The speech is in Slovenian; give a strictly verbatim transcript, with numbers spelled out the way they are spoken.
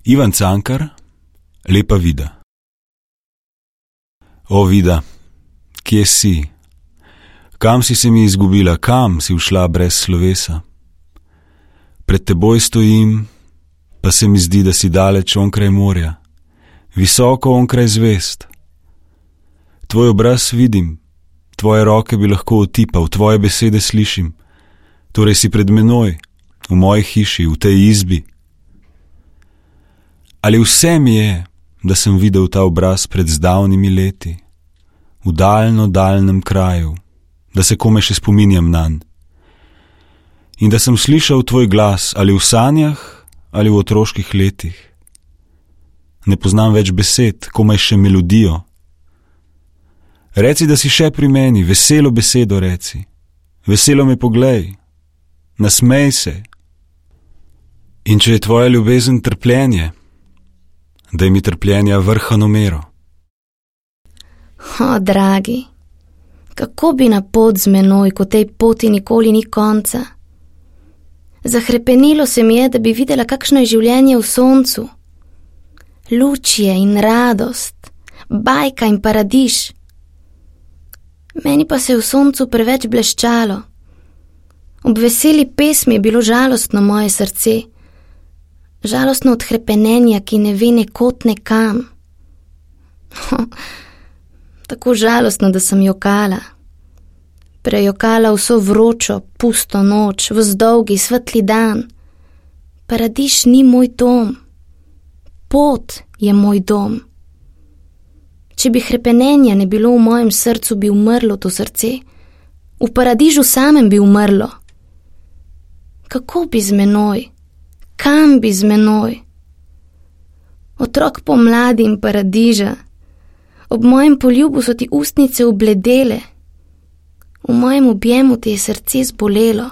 Ivan Cankar, Lepa Vida. O Vida, kje si? Kam si se mi izgubila, kam si ušla brez slovesa? Pred teboj stojim, pa se mi zdi, da si daleč onkraj morja, visoko onkraj zvest. Tvoj obraz vidim, tvoje roke bi lahko otipal, tvoje besede slišim, torej si pred menoj, v moji hiši, v tej izbi. Ali vse mi je, da sem videl ta obraz pred zdavnimi leti, v daljno, daljnem kraju, da se kome še spominjam nanj. In da sem slišal tvoj glas, ali v sanjah, ali v otroških letih. Ne poznam več besed, komaj še melodijo. Reci, da si še pri meni, veselo besedo reci. Veselo me poglej, nasmej se. In če je tvoja ljubezen trpljenje, daj mi trpljenja vrhano mero. O, dragi, kako bi na pot z menoj, ko tej poti nikoli ni konca? Zahrepenilo se mi je, da bi videla, kakšno je življenje v soncu. Luč je in radost, bajka in paradiž. Meni pa se je v soncu preveč bleščalo. Ob veseli pesmi je bilo žalostno moje srce, žalostno od hrepenenja, ki ne ve nekod nekam. Tako žalostno, da sem jokala. Prejokala vso vročo, pusto noč, v zdolgi, svetli dan. Paradiž ni moj dom. Pot je moj dom. Če bi hrepenenja ne bilo v mojem srcu, bi umrlo to srce. V paradižu samem bi umrlo. Kako bi z menoj? Kam bi z menoj? Otrok pomladi in paradiža. Ob mojem poljubu so ti ustnice obledele. V mojem objemu ti je srce zbolelo.